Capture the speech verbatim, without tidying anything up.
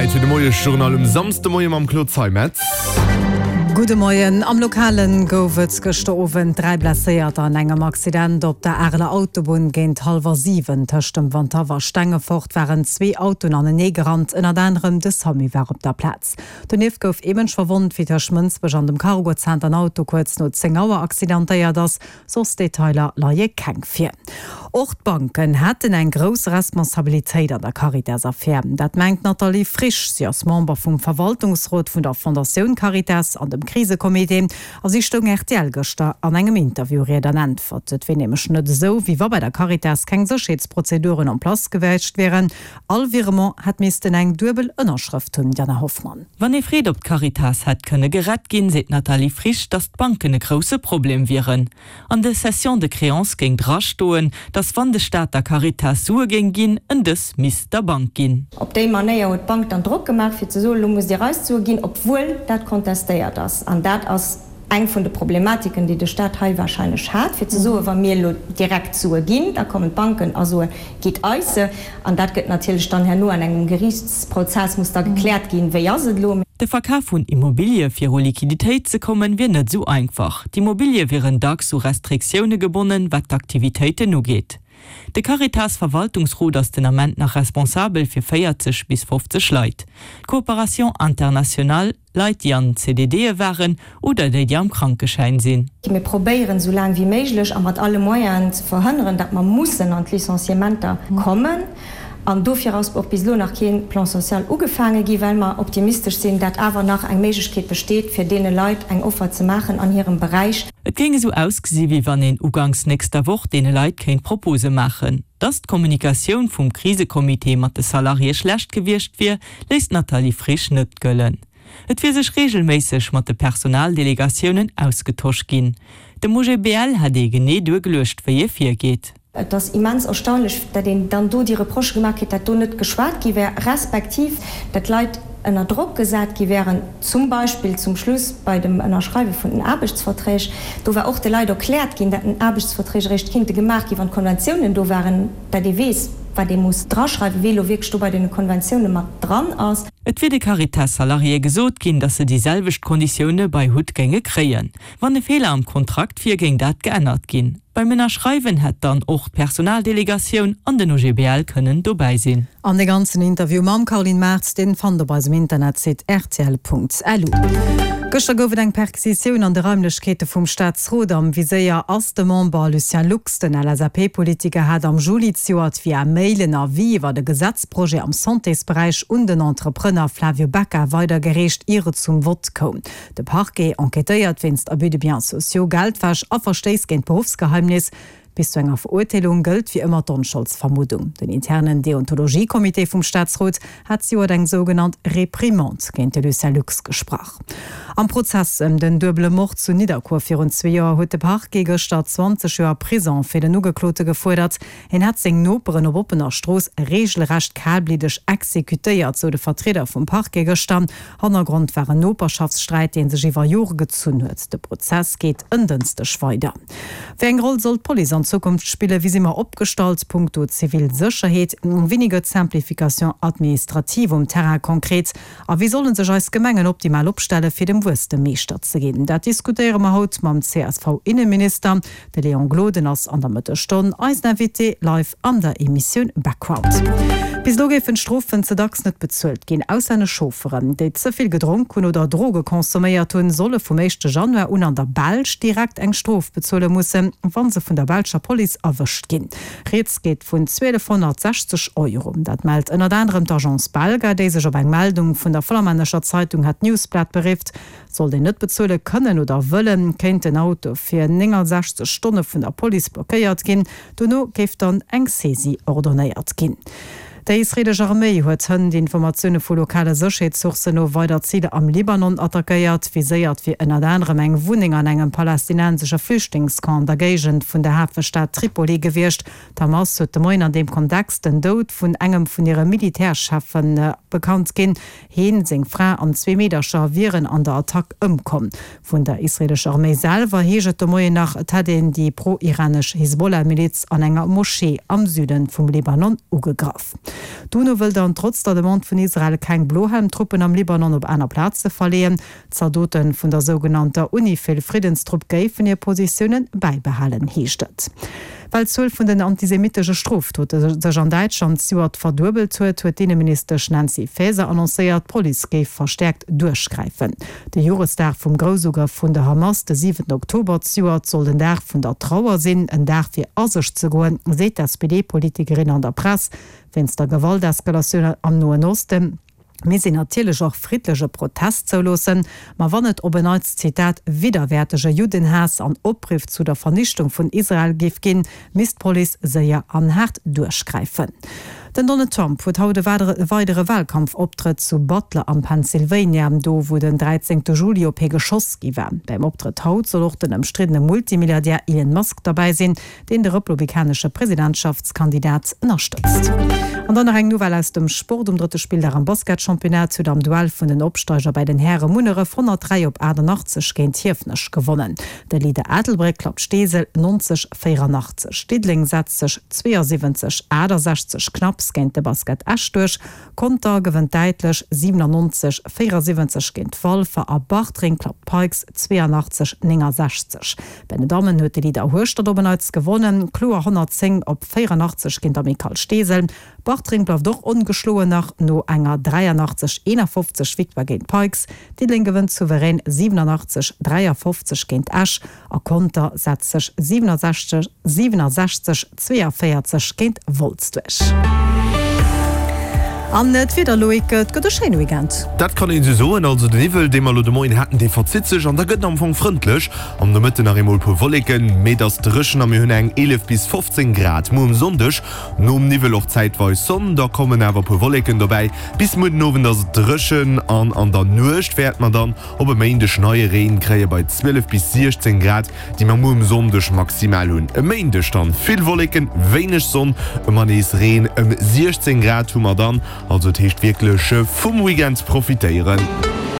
Zäit fir de Moiesjournal um Samsdemoie mam Claude Zeimetz. Gudde Moien. Am Lokalen gouf et gëschter Owend dräi Blesséierter an engem Accident op der Areler Autobunn. Géint hallwer siwen tëscht dem Wandhaff a Stengefort waren zwee Autoen anenee gerannt, ënnert anerem de Samu war op der Plaz. Donieft gouf ee Mënsch verwonnt, wéi tëscht Mënsbech an dem Cargozenter en Auto kuerz no zéng Auer accidentéiert ass. Soss Detailer leie keng vir. Och d'Banken hätten eng grouss Responsabilitéit an der Caritas-Affär. Dat mengt d'Nathalie Frisch. Si ass Member vum Verwaltungsrot vun der Fondatioun Caritas an dem Krisecomité a si stoung rtl gëschter an engem Interview Ried an Äntwert. Et wier nämlech net esou, wéi wa bei der Caritas keng Sécherheetsprozeduren en place gewiescht wieren. All Virement hätt missten eng duebel Ënnerschrëft hunn, Diana Hoffmann. Wann ee freet, ob d'Caritas hätt kënne gerett ginn, seet d'Nathalie Frisch, datt d'Banken e grousse Problem wieren. An de Cessions de créances géing drastoen, datt wann de Staat der Caritas Sue géing ginn, en dës misst der Bank ginn. Op déi Manéier huet d'Bank dann Drock gemaach, fir ze soen, elo musst Dir eis d'Sue ginn, obwuel dat kontestéiert ass. An dat ass eng vun de Problematiken, déi de Staat hei wahrscheinlech hat, fir ze soen, wa mir elo direkt d'Sue ginn, da kommen d'Banken a soen, gitt eis se. An dat gëtt natierlech dann herno an engem Geriichtsprozess muss da gekläert ginn, wéi ass et elo. De Verkaf vun Immobilië fir u Liquiditéit ze kommen, wier net esou einfach. D'Immobilië wieren dacks u Restriktioune gebonnen, wat d'Aktivitéiten ugeet. De Caritas-Verwaltungsrot ass den Ament nach responsabel fir véierzeg bis fofzeg Leit. D'Coopération internationale, Leit, déi an CDDe waren oder déi, déi am Krankeschäin sinn. Mir probéieren, esou laang wéi méiglech a mat alle Moyenen ze verhënneren, datt mer mussen an d'Licenciementer kommen. An dofir ass och bis elo nach kee Plan social ugefaange gi, well mer optimistesch sinn, datt awer nach eng Méiglechkeet besteet, fir deene Leit eng Offer ze maachen an hirem Beräich. Et géing esou ausgesi wéi wann een uganks nächster Woch deene Leit kéint Propose maachen. Datt d'Kommunikatioun vum Krisecomité mat de Salariéë schlecht gewiescht wier, léisst d'Nathalie Frisch net gëllen. Et wier sech reegelméisseg mat de Personaldelegatiounen ausgetosch ginn. Dem O G B L hätt ee genee duergeluecht, wéi ee virgeet. Et ass immens erstaunlech, datt een dann do déi Reprochë gemaach kritt, datt do net geschwat gi wär, respektiv datt Leit ënner Drock gesat gi wären, zum Beispill zum Schluss bei dem Ënnerschreiwe vun den Aarbechtsverträg. Do war och de Leit erkläert ginn, datt den Aarbechtsverträg eréischt kinnte gemaach gi wann d'Konventiounen do waren, datt ee weess, wat ee muss draschreiwen, wee elo wierklech do bei deene Konventioune mat dran ass. Et wier de Caritas-Salariéë gesot ginn, datt se déi selwecht Konditioune bei Hutt géinge kréien. Wann e Feeler am Kontrakt wier, géing dat geännert ginn. Beim Ënnerschreiwen hätt dann och d'Personaldelegatioun an den O G B L kënnen dobäi sinn. An de ganzen Interview mam Caroline Mart, deen fannt der op eisem Internetsite rtl Punkt L U. Gëschter gouf et eng Perquisitioun an de Raimlechkeete vum Staatsrot. Am Viséier ass de Member Lucien Lux. Den L S A P-Politiker hat am Juli zejoert via Mail en Avis iwwer e Gesetzprojet am Santésberäich un den Entrepreneur Flavio Becca weidergereecht, ier et zum Vott koum. De Parquet enquêtéiert wéinst Abus de biens sociaux, Geldwäsch a Verstéiss géint d'Beruffsgeheimnis. Bis zu enger Verurteelung gëllt wéi ëmmer d'Onscholdsvermuddung. Den internen Deontologiecomité vum Staatsrot hat zejoert eng sougenannt Reprimande géint de Lucien Lux gesprach. Am Prozess ëm den duebele Mord zu Nidderkuer virun zwee Joer huet de Parquet gëschter zwanzeg Joer Prisong fir den Ugeklote gefuerdert. Hien hätt seng Noperen op oppener Strooss reegelrecht kalbliddeg exekutéiert, sou de Vertrieder vum Parquet gëschter. Hannergrond war en Noperschaftssträit, dee sech iwwer Jore gezunn huet. De Prozess geet en Dënschdeg weider. Wéi eng Roll soll d'Police an Zukunft spillen? Wéi si mer opgestallt punkto zivil Sécherheet? Wéini gëtt d'Simplification administrative um Terrain konkret? A wéi solle sech eis Gemengen optimal opstellen, fir dem Wuesstem Meeschter ze ginn? Dat diskutéiere mer haut mam C S V-Inneminister. De Léon Gloden ass an der Mëttesstonn eisen Invité live an der Emissioun Background. Bis elo géifen d'Strofen ze dacks net bezuelt ginn. Auslännesch Chaufferen, déi ze vill gedronk hunn oder Droge consomméiert hunn, solle vum éischte Januar un an der Belsch direkt eng Strof bezuele mussen, wa se vun der belscher Police erwëscht ginn. Rieds geet vun zwielefhonnertsechzeg Euro. Dat mellt ënnert anerem d'Agence Belga, déi sech op eng Meldung vun der flamännescher Zeitung Het Nieuwsblad berifft. Sollt een net bezuele kënnen oder wëllen, kéint den Auto fir néngasechzeg Stonne vun der Police blockéiert ginn. Dono géif dann eng Saisie ordonéiert ginn. Déi israeelesch Arméi huet hënt Informatioune vu lokale Sécherheetssourcen no weider Ziler am Libanon attackéiert. Viséiert wier ënnert anerem eng Wunneng an engem palästinensesche Flüchtlingscamp an der Géigend vun der Hafestad Tripoli gewiescht. D'Hamas huet de Moien an deem Kontext den Doud vun engem vun hire Militärcheffen bekannt ginn. Hien, seng Fra an zwee Meedercher wieren an der Attack ëmkomm. Vun der israeelescher Arméi selwer heescht et de Moien nach, et hätt een déi pro-iranesch Hisbollah-Miliz an enger Moschee am Süde vum Libanon ugegraff. D'UNO wëll dann trotz der Demande vun Israel keng Blohelm-Truppen am Libanon op aner Plaze verleeën. D'Zaldote vun der sougenannter UNIFIL-Friddenstrupp géifen hir Positiounen bäibehalen, heescht et. Well d'Zuel vun den antisemitesche Strofdote sech an Däitschland zejoert verduebelt huet, huet d'Inneministesch Nancy Faeser annoncéiert, d'Police géif verstäerkt duerchgräifen. De Joresdag vum Groussugrëff vun der Hamas de siwenten Oktober zejoert soll den Dag vun der Trauer sinn, en Dag fir a sech ze goen, seet d'SPD-Politikerin an der Press. Wéinst der Gewalteskalatioun am Noen Osten misst een natierlech och friddleche Protest zouloossen, ma wann et op en Neits, Zitat, widderwäertege Juddenhaass an Opriff zu der Vernichtung vun Israel géif ginn, misst d'Police séier an haart duerchgräifen. Den Donald Trump huet haut e weidere Walkampfoptrëtt zu Butler am Pennsylvania, do wou den dräizéngte Juli op hie geschoss gi war. Beim Optrëtt haut soll och den ëmstriddene Multimilliardär Elon Musk derbäi sinn, deen de republikanesche Presidentschaftskandidat ënnerstëtzt. An dann nach eng Nouvelle aus dem Sport, Um drëtte Spilldag am Basketchampionnat huet am Duell vun den Opsteiger bei den Häre Munneref honnertdräi op achtannachtzeg géint Hiefenech gewonnen. De Leader Ettelbréck klappt Steesel neunzeg, véierannachtzeg. Diddeleng setzt sech zweeënsiwwenzeg, achttasechzeg knapps géint de Basket Esch duerch. Conter gewënnt däitlech siwenannonzeg, véierasiwwenzeg géint Walfer a Bartreng klappt d'Pikes zweeënachtzeg, néngasechzeg. Bei den Dammen huet de Leader Hueschtert op en Neits gewonnen, kloer honnertzéng op véierannachtzeg géint Amicale Steesel. Bartreng bleift och ongeschloen nach no enger dräiannachtzeg, eenafofzeg Victoire géint d'Pikes. Diddeleng gewënnt souverän siwenannachtzeg, dräiafofzeg géint Esch a Conter setzt sech siwenundsechzeg, siwenundsechzeg, zweeënvéierzeg géint Wolz duerch. An d'Wieder, Loïc, et gëtt e schéine Weekend. Dat kann een esou soen. Also den Niwwel, dee mer elo de Moien haten, dee verzitt sech an da gëtt en am Fong frëndlech. Am Nomëtten nach eemol e puer Wolleken, mee et ass dréchen a mir hunn eng eelef bis fofzéng Grad. Muer um Sonndeg nom Niwwel och zäitweis Sonn, da kommen awer e puer Wolleken dobäi. Bis muer den Owend ass et dréchen an an der Nuecht wäerte mer dann op e Méindeg neie Reen kréie bei zwielef bis siechzéng Grad, déi mer muer um Sonndeg maximal hunn. E Méindeg dann vill Wolleken, wéineg Sonn, ëmmer nees Reen, ëm siechzéng Grad hu mer dann. Also et heescht wierklech vum Weekend profitéieren.